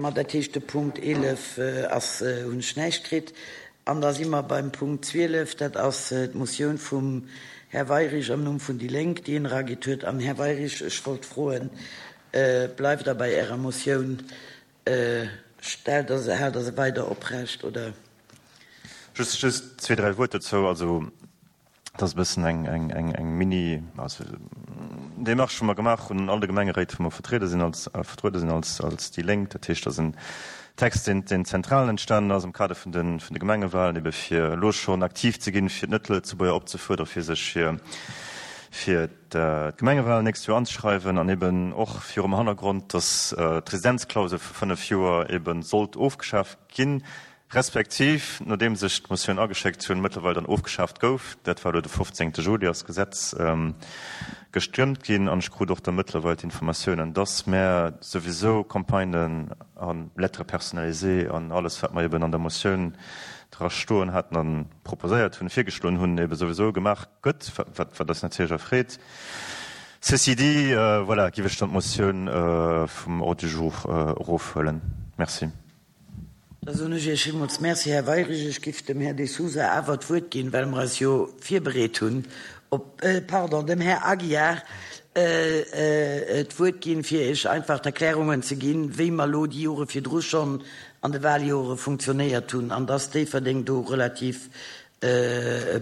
Ma dat heescht, de Punkt 11 ass, hunn ech näischt kritt. An da si mer beim Punkt 12, dat ass d'Motioun vum Här Weirich am Numm vun déi Lénk, déi en eragitt huet. An, Här Weirich, ech wollt froen, Bleift Der bei Ärer Motioun? Stellt Der se, haalt Der se weider oprecht, oder? Just, just zwee, dräi Wuert dozou. Also, Et ass e bëssen eng, eng, eng, eng Mini, also Démarche, wou mer gemaach hunn an all de Gemengeréit, wou mer vertriede sinn als, vertruede sinn als, als déi Lénk. Dat heescht, et ass en Text, deen, deen zentral entstanen ass am Kader vun de, vun de Gemengewahlen, ebe fir elo schonn aktiv ze ginn, fir d'Net-Lëtzebuerger opzefuerdere fir sech fir, fir d'Gemengewahlen d'nächst Joer anzeschreiwen an eben och virum Hannergrond, dass d'Residenzklausel vu fënnf Joer ebe sollt ofgeschaf ginn. Respektiv, nodeems ech d'Motioun ageschéckt hunn, mëttlerweil dann ofgeschaaft gouf. Dat war elo de 15. Juli ass d'Gesetz gestëmmt ginn an ech krut och da mëttlerweil d'Informatiounen, dass mär souwisou Campagnen a Lettres personnalisées an alles, wat mer eben an der Motioun dra stoen haten a proposéiert hunn, virgeschloen hunn, ebe souwisou gemaach gëtt, wat wat eis natierlech erfreet. Ceci dit, voilà, giff ech dann d'Motioun vum Ordre du jour erofhuelen. Merci. Da soen ech Iech villmools Merci, Här Weirich. Ech giff dem Här De Sousa awer d'Wuert ginn, well mer eis jo virbereet hunn op, pardon, dem Här Aguiar d'Wuert ginn, fir Iech einfach d'Erklärungen ze ginn, wéi mer elo déi Jore virdru schonn an de Waljore funktionéiert hunn an dass Déifferdeng do relativ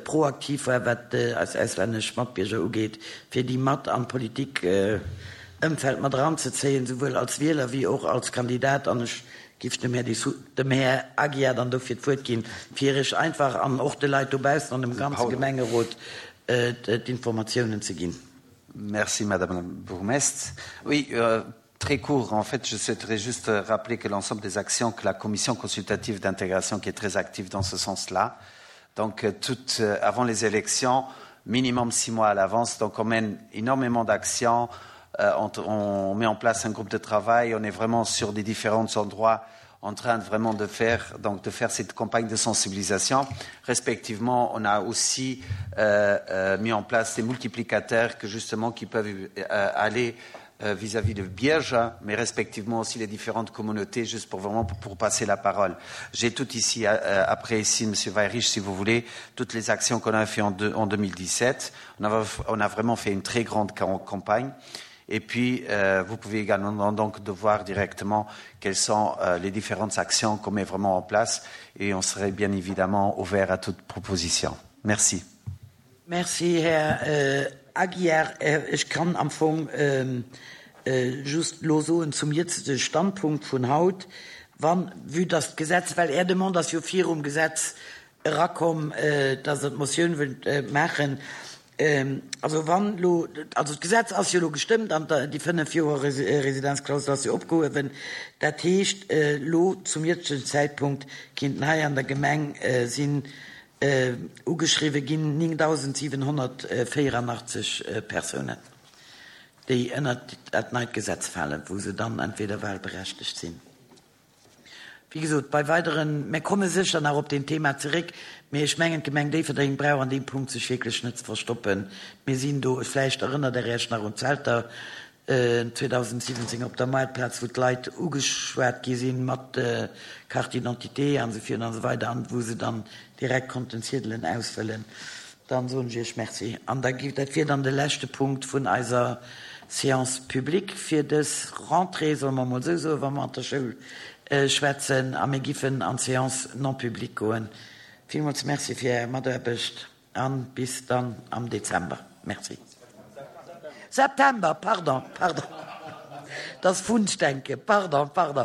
proaktiv war, wat eis auslännesch Matbierger ugeet, fir déi mat an d'Politik-Ëmfeld mat eranzezéien, souwuel als Wieler wéi och als Kandidat. An ech géif dem Här Dessous, dem Här Aguiar dann dofir d'Wuert ginn, fir Iech einfach an och de Leit dobaussen an dem ganze Gemengerot d'Informatiounen ze ginn. Merci, Madame la Bourgmestre. Oui, très court, en fait, je souhaiterais juste rappeler que l'ensemble des actions que la Commission consultative d'intégration, qui est très active dans ce sens-là, donc euh, tout euh, avant les élections, minimum six mois à l'avance, donc on mène énormément d'actions, euh, on, on met en place un groupe de travail, on est vraiment sur des différents endroits en train de vraiment de faire donc de faire cette campagne de sensibilisation respectivement on a aussi euh, euh, mis en place des multiplicateurs que justement qui peuvent euh, aller euh, vis-à-vis -vis de Bierge mais respectivement aussi les différentes communautés juste pour vraiment pour, pour passer la parole j'ai tout ici euh, après ici monsieur Weirich si vous voulez toutes les actions qu'on a fait en, de, en 2017 on a, on a vraiment fait une très grande campagne et puis euh, vous pouvez également donc de voir directement quelles sont euh, les différentes actions qu'on met vraiment en place et on serait bien évidemment ouvert à toute proposition merci merci herr äh, Aguiar äh, ich kann am Fong ähm, äh, just lo soen zum jetzige Standpunkt vun haut wann vue dass d'Gesetz well Är Demande ass jo virum Gesetz erakomm dass Der d'Motioun wëllt maachen also wann elo also d'Gesetz ass jo elo gestëmmt an déi 5 Joer Residenzklausel ass jo opgehuewen dat heescht elo zum jëtzegen Zäitpunkt kinnten hei an der Gemeng sinn ugeschriwwe ginn 9.784 Persounen déi ënnert dat neit Gesetz falen wou se dann entweder wahlberechtegt sinn. Wéi gesot, bei weideren, mir komme sécher nach op deen Thema zeréck, mee ech mengen, d'Gemeng Déifferdeng brauch an deem Punkt sech wierklech net ze verstoppen. Mir sinn do, vläicht erënnert Der Iech nach un d'Zelter 2017 op der Moartplaz, wou d'Leit ugeschwat gi sinn mat Carte d'identité an esou virun an esou weider an wou se dann direkt konnten Ziedelen ausfëllen. Dann soen ech Iech Merci. An da gi, dat wier dann de leschte Punkt vun eiser Séance publique fir dës Rentrée, solle mer emol esou soen, wa mer an der Schoul schwätzen. A mir giffen an d'Séance non publique goen. Villmools Merci fir Är Mataarbecht a bis dann am Dezember. Merci. September, pardon, pardon. Dat ass Wunschdenken. Pardon, pardon.